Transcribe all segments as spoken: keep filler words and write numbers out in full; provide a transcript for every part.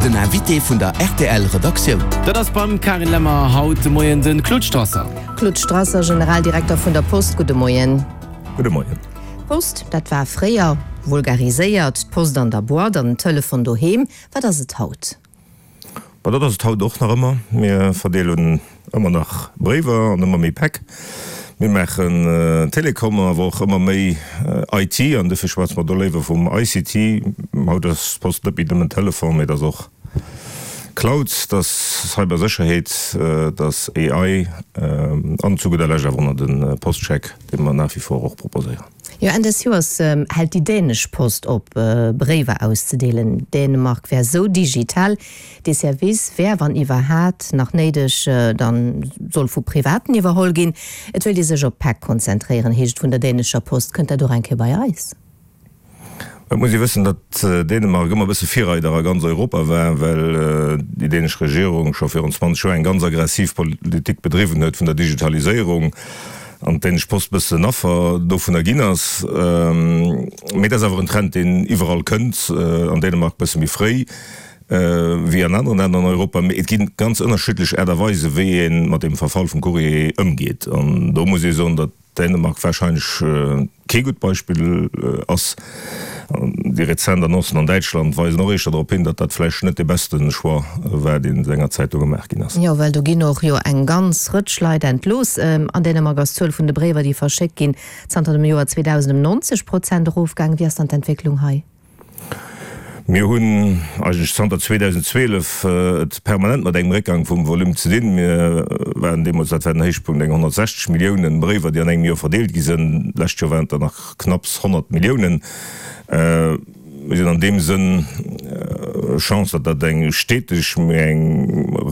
Den Invité vun der R T L Redaktioun. Dat ass beim Carine Lemmer haut de Moien de Claude Strasser. Claude Strasser, Generaldirekter vun der Post, gudde Moien. Gudde Moien. Post, dat war fréier vulgariséiert d'Post an der Boîte an den Telefon doheem. Wat ass et haut? Ma dat ass et haut och nach ëmmer. Mir verdeelen ëmmer nach Bréiwer an ëmmer méi Päck. Mir maachen Telekom, awer och ëmmer méi I T, an dofir schwätze mer do léiwer vum I C T. Haut ass d'Post net méi nëmmen Telefon, mee dat ass och Cloud, dat ass Cybersécherheet, dat ass A I an zu gudder Lescht awer och nach de Postcheck, dee mer nach wie vor och proposéieren. Jo, Enn des Joers hält déi dänesch Post op, Bréiwer auszedeelen. Dänemark wär sou digital. Dee Service wär, wann iwwerhaapt nach néideg, dann soll vu Privaten iwwerholl ginn. Et wëllt ee sech op Päck konzentréieren, heescht et vun der dänescher Post. Kënnt dat och eng Kéier bei eis? Et muss ee wëssen, datt Dänemark ëmmer e bësse Virreider a ganz Europa war, well déi dänesch Regierung scho virun zwanzeg Joer eng ganz aggressiv Politik bedriwwen huet vun der Digitaliséierung an d'dänesch Post bëssen Affer dovunner ginn ass. Mee dat ass awer en Trend, deen iwwerall kënnt, an Dänemark bësse méi fréi wéi an aneren Länner an Europa. Mee et gi ganz ënnerschiddlech Aart a Weise wéi ee mat dem Verfall vum Courrier ëmgeet. An do muss ee soen, datt Dänemark warscheinlech kee gutt Beispill ass. Déi rezent Annoncen an Däitschland weisen och éischter drop hin, datt dat vläicht net de beschte Choix war, deen sengerzäit do gemaach ginn ass. Jo, well do ginn och jo eng ganz Rëtsch Leit entlooss. An Dänemark ass d'Zuel vun de Bréiwer, déi verschéckt ginn, zanter dem Joer zweedausend ëm nonzeg Prozent erofgaangen. Wéi ass dann d'Entwécklung hei? Mir hunn eigentlech zanter zweedausendzwielef et permanent mat engem Réckgang vum Volume ze dinn. Mir waren deemools, dat war den Héichpunkt, eng honnertsechzeg Milliounen Bréiwer, déi an engem Joer verdeelt gi sinn. D'lescht Joer waren et der nach knapps honnert Milliounen. Mir sinn an deem Sënn Chance, datt dat eng steteg, mee eng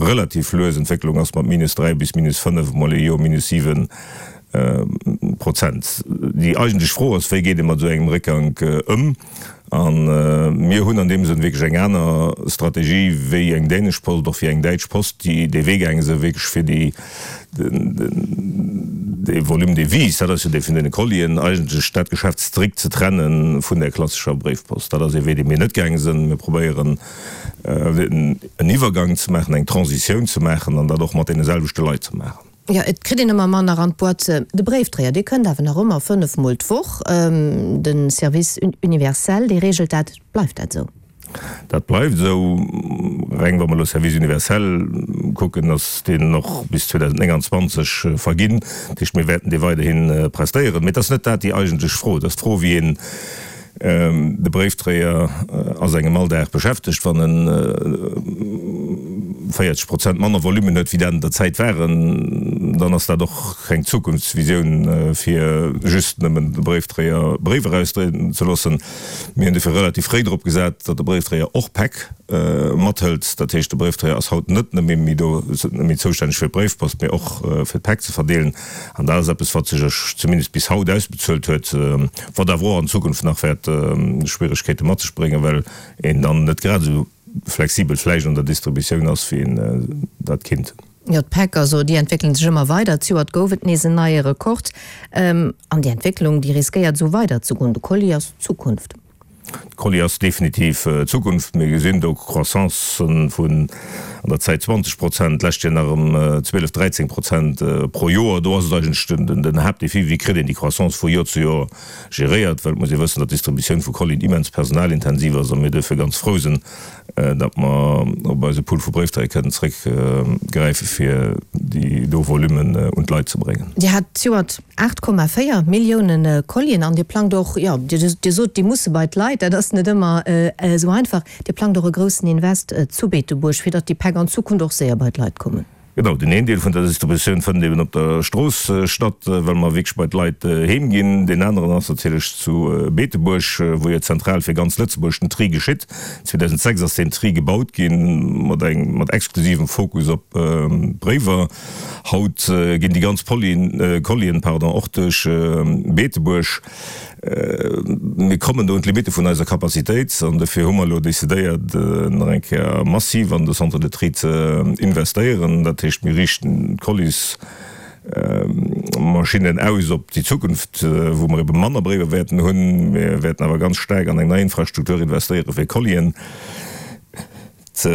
relativ lues Entwécklung ass mat minus dräi bis minus fënnef, mol ee Joer minus siwen Prozent. Déi eigentlech Fro ass, wéi geet ee mat esou engem Réckgank ëm? A mir hunn an deem Sënn wierklech eng aner Strategie wéi eng dänesch Post, och wéi eng däitsch Post, déi dee Wee gaange sinn, wierklech fir déi, dee Volume de vie, dat ass jo dee vun deene Collien, eigentlech dat Geschäft strikt ze trenne vun der klassescher Bréifpost. Dat ass ee Wee, dee mir net gaange sinn. Mir probéieren en Iwwergang ze maachen, eng Transitioun ze maachen an dat och mat deene selwechte Leit ze maachen. Jo, et kritt een ëmmer manner an d'Boîte. De Bréifdréier, dee kënnt awer nach ëmmer fënnef Mol d'Woch. De Service universel, dee reegelt dat. Bleift dat esou? Dat bleift esou. Reng wa mer elo Service universel kucken, ass deen och bis zweedausendnénganzwanzeg verginn. Dat heescht, mir wäerten dee weiderhi prestéieren. Mee et ass net dat déi eigentlech Fro. Et ass d'Fro, wéi een de Bréifdréier a sengem Alldag beschäftegt, wann en véierzeg Prozent manner Volumen huet, wéi dat an der Zäit waren, dann ass dat och keng Zukunftsvisioun, fir just nëmmen de Bréifdréier Bréiwer erausdréien ze loossen. Mir hunn dofir relativ fréi drop gesat, datt de Bréifdréier och Päck mathëlt. Dat heescht, de Bréifdréier ass haut net nëmme méi do, méi zoustänneg fir d'Bréifpost, mee och fir d'Päck ze verdeelen. An dat ass eppes, wat sech zumindest bis haut ausbezuelt huet, wat awer och an Zukunft nach wäert Schwieregkeete mat sech bréngen, well een dann net grad esou flexibel vläicht an der Distributioun ass, wéi een dat kinnt. Jo, d'Päck, also déi entwéckelen sech ëmmer weider. Zejoert gouf et nees en neie Rekord. An déi Entwécklung, déi riskéiert esou weider ze goen. De Colis ass d'Zukunft. De Colis ass definitiv d'Zukunft. Mir gesinn do Croissancen vun an der Zäit zwanzeg Prozent, d'lescht Joer nach ëm zwielef, dräizéng Prozent pro Joer. Do ass et eigentlech den Haaptdefi, wéi kritt een déi Croissance vu Joer zu Joer geréiert, well et muss ee wëssen, datt d'Distributioun vu Collien immens personalintensiv ass a mir duerfir ganz frou sinn, datt mer op eise Pool vu Bréifdréier kënnen zréckgräife fir déi do Volummen un d'Leit ze bréngen. Dir hat zejoert aacht Komma véier Millioune Collien an Dir plangt och, jo, Dir sot, déi musse bei d'Leit, dat ass net ëmmer esou einfach. Dir plangt och e groussen Invest zu Beetebuerg, fir datt déi Päck an Zukunft och séier bei d'Leit kommen. Genau, deen een Deel vun der Distributioun fënnt eben op der Strooss statt, well mer wierklech bei d'Leit heem ginn. Deen aneren ass natierlech zu Beetebuerg, wou jo zentral fir ganz Lëtzebuerg den Tri geschitt. zweedausendsechs ass deen Tri gebaut ginn, mat engem, mat exklusivem Fokus op Bréiwer. Haut ginn déi ganz Pollien, Collien, pardon, och duerch Beetebuerg. Mir kommen do un d'Limitte vun eiser Capacitéit an dofir hu mer elo decidéiert, nach eng Kéier massiv an de Centre de tri ze investéieren. Dat heescht, mir riichten d'Collis-Maschinnen aus op déi Zukunft, wou mer ebe manner Bréiwer wäerten hunn. Mir wäerten awer ganz staark an eng nei Infrastruktur investéiere fir Collien. ze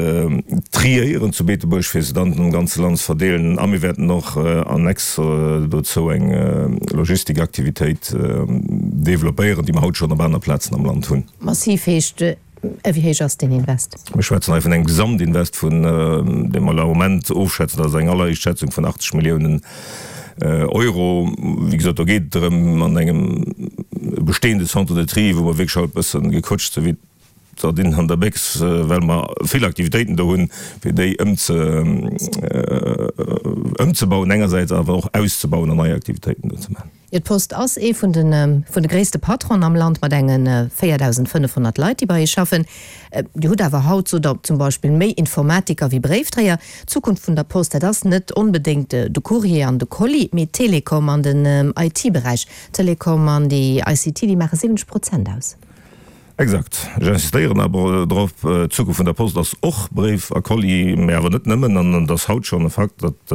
triéieren zu Beetebuerg, fir se dann am ganze Land ze verdeelen. A mir wäerten och annex dozou eng Logistikaktivitéit developpéieren, déi mer haut schonn op aner Plazen am Land hunn. Massiv heescht, wéi héich ass deen Invest? Mir schwätzen hei vun engem Gesamtinvest vun, dee mer am Moment ofschätzen, dat ass eng alleréischt Schätzung, vun achtzeg Milliounen Euro. Wéi gesot, do geet et drëm, an engem bestehende Centre de tri, wou mer wierklech haut e bësse gequëtscht sinn wéi d'Sardinen an der Béchs, well mer vill Aktivitéiten do hunn, fir déi ëmzebauen engersäits, awer och auszebauen an nei Aktivitéiten do ze maachen. Jo, d'Post ass ee vun de vun de gréisste Patronen am Land mat enge véierdausendfënnefhonnert Leit, déi bei eis schaffen. Dir hutt awer haut, sot Der, zum Beispill méi Informatiker wéi Bréifdréier. D'Zukunft vun der Post, dat ass net onbedéngt de Courrier an de Colis, mee d'Telekom an den I T-Beräich. D'Telekom an déi I C T, déi maache siwwenzeg Prozent aus. Exakt. Ech insistéieren awer drop, d'Zukunft vun der Post ass och Bréif a Colis, mä awer net nëmmen. An et ass haut schonn e Fakt, datt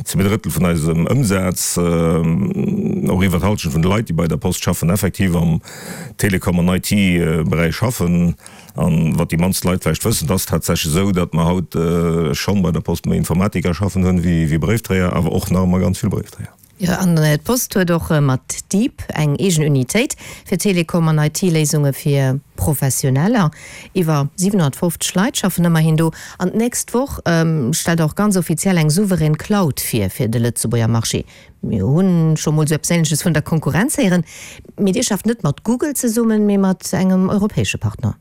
zwee Drëttel vun eisem Ëmsaz, och iwwer d'Hallschent vun de Leit, déi bei der Post schaffen, effektiv am Telekom an I T-Beräich schaffen. An wat déi mannst Leit vläicht wëssen, et ass tatsächlech esou, datt mer haut schonn bei der Post méi Informatiker schaffen hunn wéi Bréifdréier, awer och nach ëmmer ganz vill Bréifdréier. Jo, an d'Post huet och mat Deep eng eegen Unitéit fir Telekom an I T-Léisunge fir Professioneller. Iwwer siwenhonnertfofzeg Leit schaffen ëmmerhin do. An d'nächst Woch stellt Der och ganz offiziell eng souverän Cloud vir fir de Lëtzebuerger Marché. Mir hu scho mol esou eppes Änleches vun der Konkurrenz héieren. Mee Dir schafft net mat Google zesummen, mee mat engem europäesche Partner.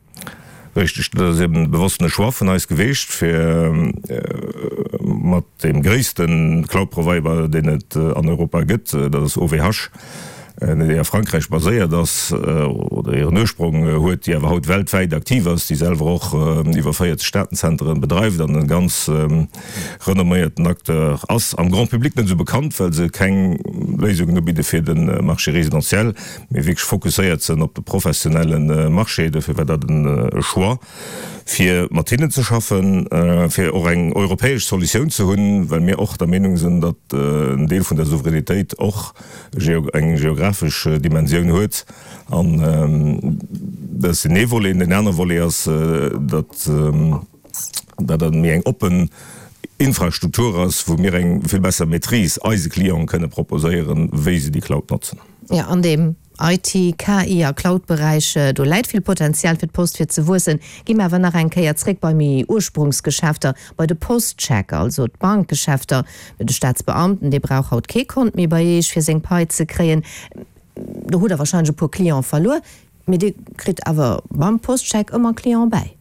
Richteg, dat ass eben e bewossene Choix vun eis geweecht, fir mat deem gréisste Cloud-Provider, deen et an Europa gëtt, dat ass O V H, déi a Frankräich baséiert ass oder hiren Ursprong huet, déi awer haut weltwäit aktiv ass, déi selwer och iwwer véierzeg Datenzenteren bedreift an e ganz renomméierten Acteur ass. Am Grand public net esou bekannt, well se keng Léisungen ubidde fir de Marché résidentiel, mee wierklech fokusséiert sinn op de professionelle Marché. Dofir war dat e Choix, fir mat hinnen ze schaffen, fir och eng europäesch Solutioun ze hunn, well mir och der Meenung sinn, datt en Deel vun der Souveränitéit och eng geografesch Dimensioun huet. An dat ass deen ee Volet. Deen anere Volet ass, datt dat méi eng oppen Infrastruktur ass, wou mir eng vill besser Maîtrise eise Clienten kënne proposéieren, wéi se déi Cloud notzen. Jo, an deem I T, K I a Cloud-Beräich, do läit vill Potenzial fir d'Post fir ze wuessen. Gi mer awer nach eng Kéier zréck bei méi Ursprungsgeschäfter, bei de Postcheck, also d'Bankgeschäfter. De Staatsbeamten, dee brauch haut kee Kont méi bei Iech, fir seng Pai ze kréien. Do hutt Der warscheinlech e puer Cliente verluer, mee Dir kritt awer mam Postcheck ëmmer Cliente bäi.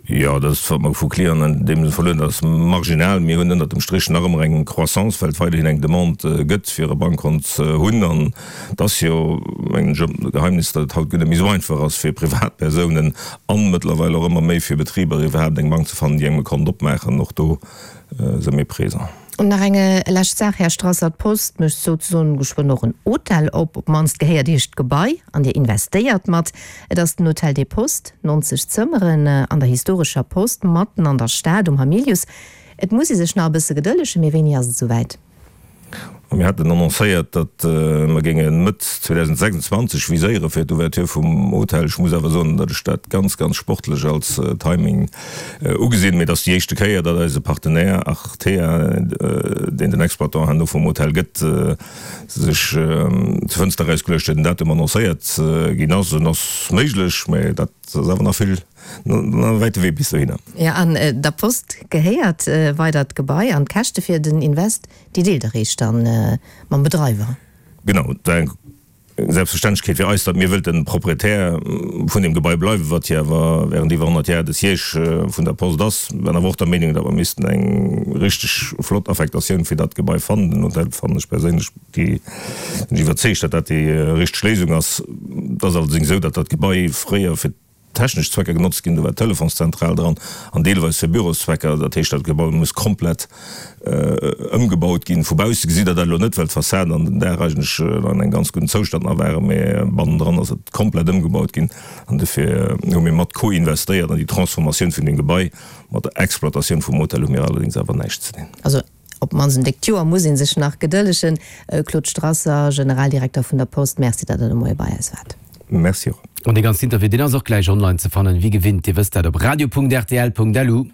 Jo, dat ass, wat mer vu Clienten an deem Sënn verluer hunn, dat ass marginal. Mir hunn ënnert dem Strich nach ëmmer eng Croissance, well et weiderhin eng Demande gëtt, fir e Bankkont ze hunn. An et ass jo, mengen ech, e Geheimnis, datt et haut guer net méi esou einfach ass, fir Privatpersounen an mëttlerweil och ëmmer méi fir Betriber iwwerhaapt eng Bank ze fannen, déi engem e Kont opmaachen. Och do si mir présent. An nach eng lescht Saach, Här Strasser, D'Post mécht souzesoen geschwënn och en Hotel op, op d'mannst gehéiert Iech d'Gebai an Dir investéiert mat. Et ass den Hotel des Postes, neunzeg Zëmmeren an der historescher Post matten an der Stad um Hamilius. Et muss ee sech nach e bësse gedëllegen, mee wéini ass et esouwäit? Mir haten annoncéiert, datt mer géinge Mëtt zweedausendsechsundzwanzeg viséiere fir d'Ouverture vum Hotel. Ech muss awer soen, datt ech dat ganz, ganz sportlech als Timing ugesinn. Mee et ass déi éischte Kéier, datt eise Partenaire Artea, deen den Exploitant herno vum Hotel gëtt, sech zur Fënster erausgeluecht huet, den Datum annoncéiert ginn ass. En ass méiglech, mee dat ass awer nach vill, nach e wäite Wee bis dohinner. Jo, an der Post gehéiert weider d'Gebai an d'Käschte fir den Invest, déi deelt Der Iech dann mam Bedreiwer? Genau, dat war eng Selbstverständlechkeet fir eis, datt mir wëllten Proprietär vun deem Gebai bleiwen, wat jo awer während iwwer honnert Jar de Siège vun der Post ass. Mir waren awer och der Meenung, datt mer missten eng richteg flott Affektatioun fir dat Gebai fannen. Den Hotel fannen ech perséinlech déi, sinn ech iwwerzeegt, datt dat déi richteg Léisung ass. Et ass allerdéngs esou, datt dat Gebai fréier fir technesch Zwecker genotzt ginn, do war d'Telefonszentral dran an deelweis fir Büroszwecker. Dat heescht, dat Gebai muss komplett ëmgebaut ginn. Vu bausse gesitt Der dat elo net, well d'Fassad an den Daach eigentlech an engem ganz gudden Zoustand nach waren, mee bannendran ass et komplett ëmgebaut ginn. An dofir hu mir mat co-investéiert an déi Transformatioun vun deem Gebai. Mat der Exploitatioun vum Hotel hu mir allerdéngs awer näischt ze dinn. Also op d'mannst en déckt Joer muss ee sech nach gedëllegen. Claude Strasser, Generaldirekter vun der Post, Merci, datt Der de Moie bei eis waart. Merci och. An dee ganzen Interview, deen ass och gläich online ze fannen, wéi gewinnt, Dir wësst dat, op radio.rtl.lu.